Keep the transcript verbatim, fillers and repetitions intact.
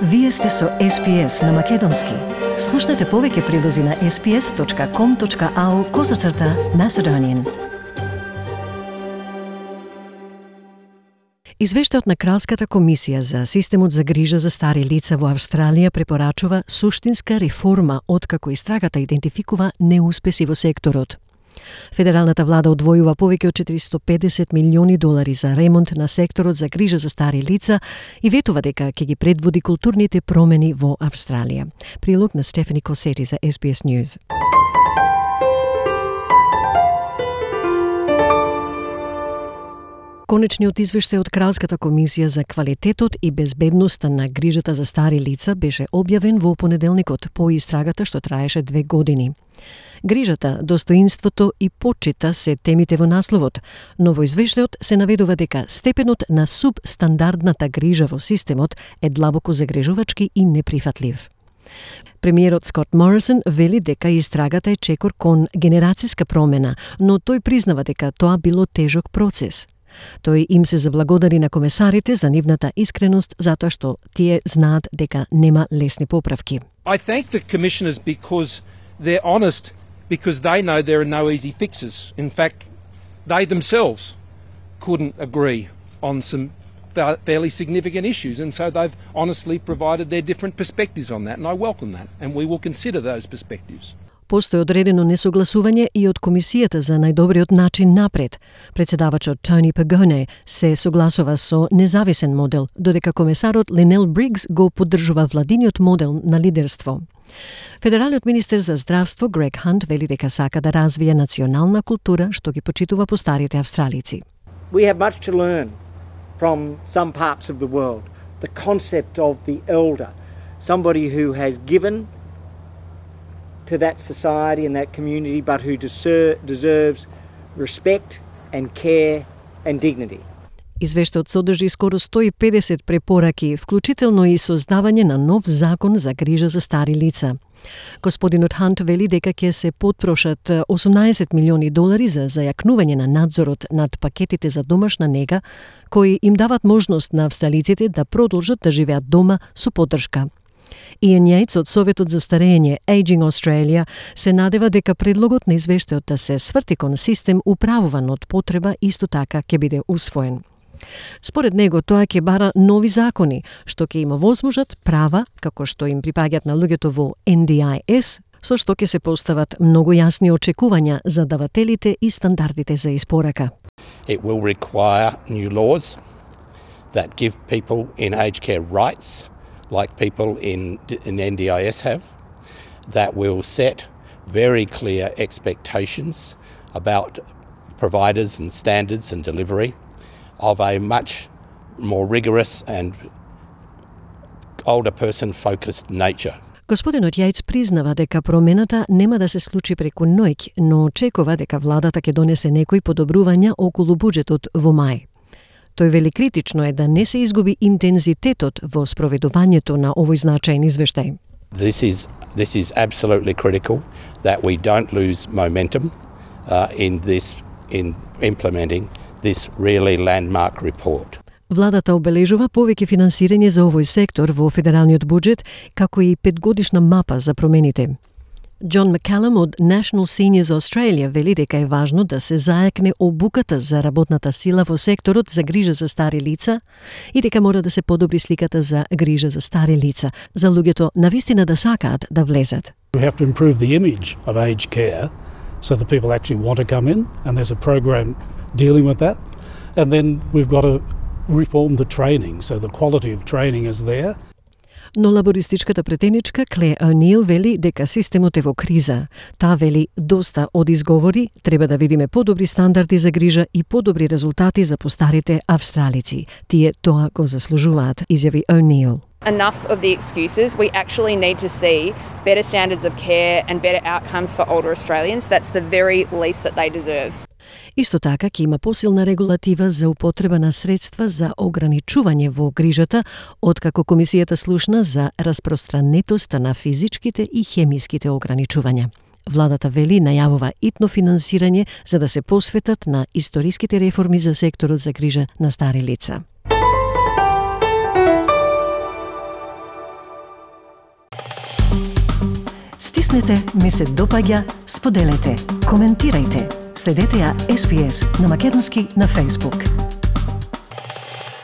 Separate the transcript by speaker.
Speaker 1: Вие сте со Ес Би Ес на Македонски. Слушнете повеќе прилози на ес би ес точка ком точка ау козацрта Macedonian. Извештајот на Кралската комисија за системот за грижа за стари лица во Австралија препорачува суштинска реформа откако истрагата идентификува неуспеси во секторот. Федералната влада одвојува повеќе од четиристо и педесет милиони долари за ремонт на секторот за грижа за стари лица и ветува дека ќе ги предводи културните промени во Австралија. Прилог на Стефани Косети за Ес Би Ес News. Конечниот извештај од Кралската комисија за квалитетот и безбедноста на грижата за стари лица беше објавен во понеделникот по истрагата што траеше две години. Грижата, достоинството и почита се темите во насловот, но во извештајот се наведува дека степенот на субстандардната грижа во системот е длабоко загрижувачки и неприфатлив. Премиерот Скот Морисон вели дека истрагата е чекор кон генерацијска промена, но тој признава дека тоа било тежок процес. Тој им се заблагодари на комесарите за нивната искреност затоа што тие знаат дека нема лесни поправки.
Speaker 2: I thank the commissioners because they're honest, because they know there are no easy fixes. In fact, they themselves couldn't agree on some fairly significant issues, and so they've honestly provided their different perspectives on that, and I welcome that, and we will consider those perspectives.
Speaker 1: Постои одредено несогласување и од Комисијата за најдобриот начин напред. Председавачот Тони Пагоне се согласува со независен модел, додека комесарот Линел Бригс го поддржува владиниот модел на лидерство. Федералниот министер за здравство Грег Хант вели дека сака да развие национална култура што ги почитува постарите австралици.
Speaker 3: We have much to learn from some parts of the world. The concept of the elder, somebody who has given to that society and that community, but who deser- deserves respect and care and dignity.
Speaker 1: Извештајот содржи скоро сто и педесет препораки, вклучително и создавање на нов закон за грижа за стари лица. Господинот Хант вели дека ќе се потрошат осумнаесет милиони долари за зајакнување на надзорот над пакетите за домашна нега, кои им дават можност на австралиците да продолжат да живеат дома со поддршка. Иан Јајц од Советот за старење Aging Australia се надева дека предлогот на извештајот да се сврти кон систем управуван од потреба исто така ќе биде усвоен. Според него тоа ќе бара нови закони, што ќе има возможат права, како што им припаѓаат на луѓето во Ен Ди Ај Ес, со што ќе се постават многу јасни очекувања за давателите и стандардите за испорака.
Speaker 4: It will require new laws that give people in aged care rights like people in, in Ен Ди Ај Ес have, that will set very clear expectations about providers and standards and delivery of a much more rigorous and older person-focused nature.
Speaker 1: Господинот Јајц признава дека промената нема да се случи преку ноќ, но очекува дека владата ќе донесе некои подобрувања околу буџетот во мај. Тој вели критично е да не се изгуби интензитетот во спроведувањето на овој значаен извештај.
Speaker 4: This is this is absolutely critical that we don't lose momentum uh, in this in implementing this really landmark report.
Speaker 1: Владата обележува повеќе финансирање за овој сектор во федералниот буџет, како и петгодишна мапа за промените. Џон Маккалам од National Seniors Australia вели дека е важно да се зајакне обуката за работната сила во секторот за грижа за стари лица и дека мора да се подобри сликата за грижа за стари лица, за луѓето навистина да сакаат да влезат.
Speaker 5: We have to improve the image of aged care so that people actually want to come in, and there's a program dealing with that. And then we've got to reform the training so the quality of training is there.
Speaker 1: Но лабористичката претеничка Кле О'Нил вели дека системот е во криза. Таа вели доста од изговори, треба да видиме подобри стандарди за грижа и подобри резултати за постарите австралици. Тие тоа го заслужуваат, изјави О'Нил.
Speaker 6: Enough of the excuses. We actually need to see better standards of care and better outcomes for older Australians. That's the very least that they deserve.
Speaker 1: Исто така ќе има посилна регулатива за употреба на средства за ограничување во грижата, откако комисијата слушна за распространетоста на физичките и хемиските ограничувања. Владата вели најавува итно финансирање за да се посветат на историските реформи за секторот за грижа на стари лица. Натиснете ми се допаѓа, споделете, коментирајте. Следете ја Ес Би Ес на македонски на Facebook.